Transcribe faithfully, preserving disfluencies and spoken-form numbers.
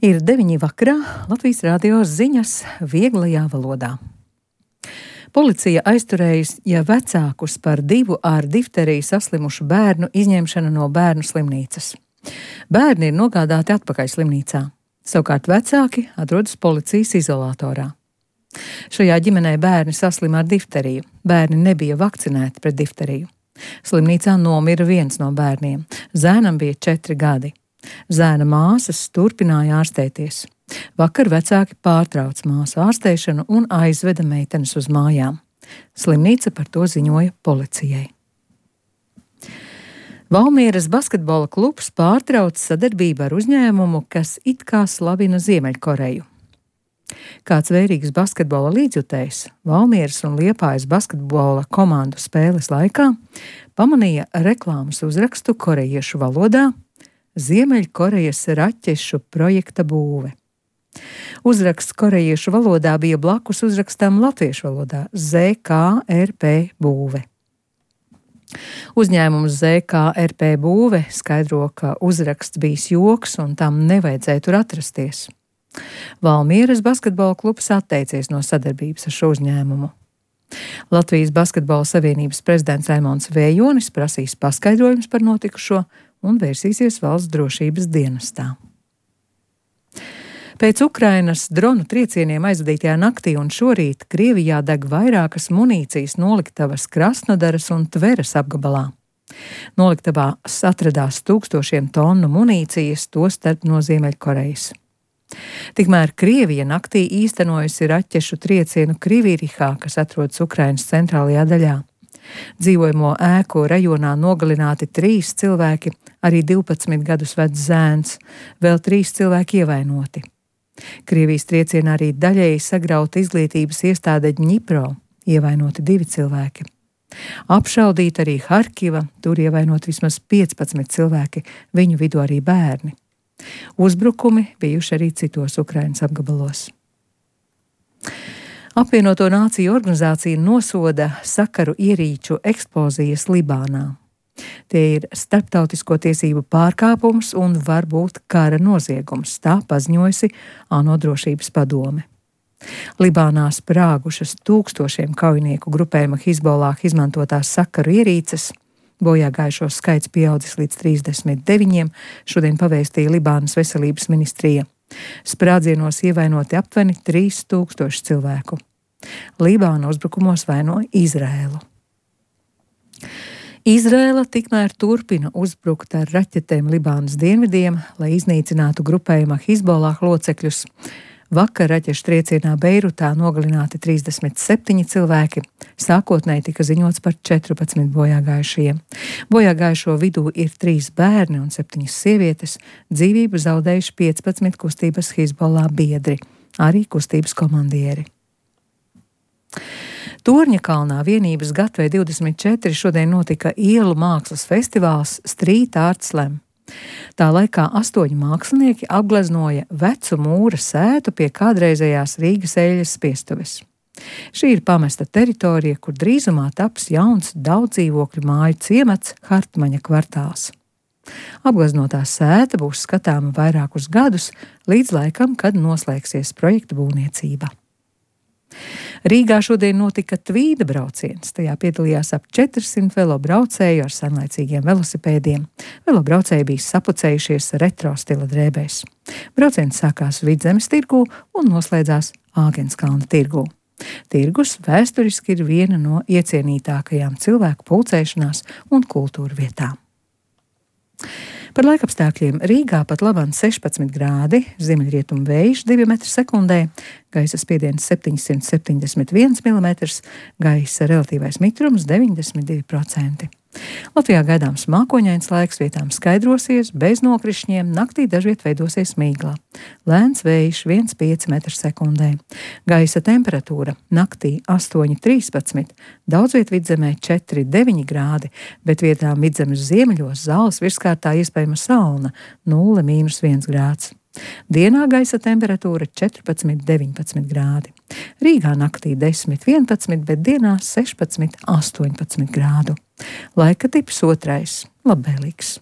Ir deviņi vakarā, Latvijas radio ziņas vieglajā valodā. Policija aizturējusi ja vecākus par divu ar difteriju saslimušu bērnu izņemšanu no bērnu slimnīcas. Bērni ir nogādāti atpakaļ slimnīcā. Savukārt vecāki atrodas policijas izolatorā. Šajā ģimenē bērni saslima ar difteriju. Bērni nebija vakcinēti pret difteriju. Slimnīcā nomira viens no bērniem. Zēnam bija četri gadi. Zēna māsas turpināja ārstēties. Vakar vecāki pārtrauc māsu ārstēšanu un aizveda meitenes uz mājām. Slimnīca par to ziņoja policijai. Valmieras basketbola klubs pārtrauc sadarbību ar uzņēmumu, kas it kā slavina Ziemeļkoreju. Kāds vērīgs basketbola līdzjutējs Valmieras un Liepājas basketbola komandu spēles laikā pamanīja reklāmas uzrakstu korejiešu valodā Ziemeļkorejas raķešu projekta būve. Uzraksts korejiešu valodā bija blakus uzrakstam latviešu valodā Z K R P būve. Uzņēmums Z K R P būve skaidro, ka uzraksts bijis joks un tam nevajadzēja tur atrasties. Valmieras basketbola klubs atteicies no sadarbības ar šo uzņēmumu. Latvijas basketbola savienības prezidents Raimons Vējonis prasīs paskaidrojumus par notikušo un vērsīsies valsts drošības dienestā. Pēc Ukrainas dronu triecieniem aizvadītajā naktī un šorīt Krievijā deg vairākas munīcijas noliktavas Krasnodaras un Tveras apgabalā. Noliktavās atradās tūkstošiem tonu munīcijas, tostarp no Ziemeļkorejas. Tikmēr Krievija naktī īstenojusi raķešu triecienu Krivirihā, kas atrodas Ukrainas centrālajā daļā. Dzīvojamo ēku rajonā nogalināti trīs cilvēki, arī divpadsmit gadus vecs zēns, vēl trīs cilvēki ievainoti. Krievijas triecienā arī daļēji sagrauta izglītības iestāde Dņipro, ievainoti divi cilvēki. Apšaudīta arī Harkiva, tur ievainoti vismaz piecpadsmit cilvēki, viņu vidū arī bērni. Uzbrukumi bijuši arī citos Ukrainas apgabalos. Apvienoto Nāciju organizācija nosoda sakaru ierīču eksplozijas Libānā. Tie ir starptautisko tiesību pārkāpums un var būt kara noziegums, tā paziņojusi ANO drošības padome. Libānā sprāgušas tūkstošiem kaujinieku grupējuma Hizbollah izmantotās sakaru ierīces, bojāgājušo skaits pieaudzis līdz trīsdesmit deviņiem, šodien pavēstīja Libānas veselības ministrija. Sprādzienos ievainoti aptuveni trīs tūkstoši cilvēku. Libāna uzbrukumos vainoja Izraēlu. Izraēla tikmēr turpina uzbrukt ar raķetēm Libānas dienvidiem, lai iznīcinātu grupējuma Hizbollah locekļus. Vakar raķešu triecienā Beirutā nogalināti trīsdesmit septiņi cilvēki, sākotnēji tika ziņots par četrpadsmit bojāgājušajiem. Bojāgājušo vidū ir trīs bērni un septiņas sievietes, dzīvību zaudējuši piecpadsmit kustības Hizbollah biedri, arī kustības komandieri. Torņakalnā vienības Gatve divdesmit četri šodien notika ielu mākslas festivāls Street Art Slam. Tā laikā astoņi mākslinieki apgleznoja vecu mūra sētu pie kādreizējās Rīgas eļļas spiestuves. Šī ir pamesta teritorija, kur drīzumā taps jauns daudz dzīvokļu māju ciemats Hartmaņa kvartāls. Apgleznotā sēta būs skatāma vairākus gadus, līdz laikam, kad noslēgsies projekta būvniecība. Rīgā šodien notika tvīda brauciens. Tajā piedalījās ap četrsimt velobraucēju ar senlaicīgiem velosipēdiem. Velobraucēji bija sapucējušies retro stila drēbēs. Brauciens sākās Vidzemes tirgū un noslēdzās Āgenskalna tirgū. Tirgus vēsturiski ir viena no iecienītākajām cilvēku pulcēšanās un kultūra vietām. Par laikapstākļiem Rīgā pat labāk sešpadsmit grādi, ziemeļrietumu vējš divi metri sekundē, gaisa spiediens septiņsimt septiņdesmit viens milimetrs, gaisa relatīvais mitrums deviņdesmit divi procenti. Latvijā gaidāms mākoņains laiks, vietām skaidrosies, bez nokrišņiem, naktī dažviet veidosies mīgla. Lēns vējš viens komats pieci metri sekundē. Gaisa temperatūra naktī astoņi trīspadsmit, daudzviet Vidzemē četri deviņi grādi, bet vietām Vidzemes ziemeļos Zāles virskārtā iespējama salna nulle mīnus viens grāds. Dienā gaisa temperatūra četrpadsmit deviņpadsmit grādi. Rīgā naktī desmit vienpadsmit, bet dienā sešpadsmit astoņpadsmit grādu. Laika tips otrais - labvēlīgs.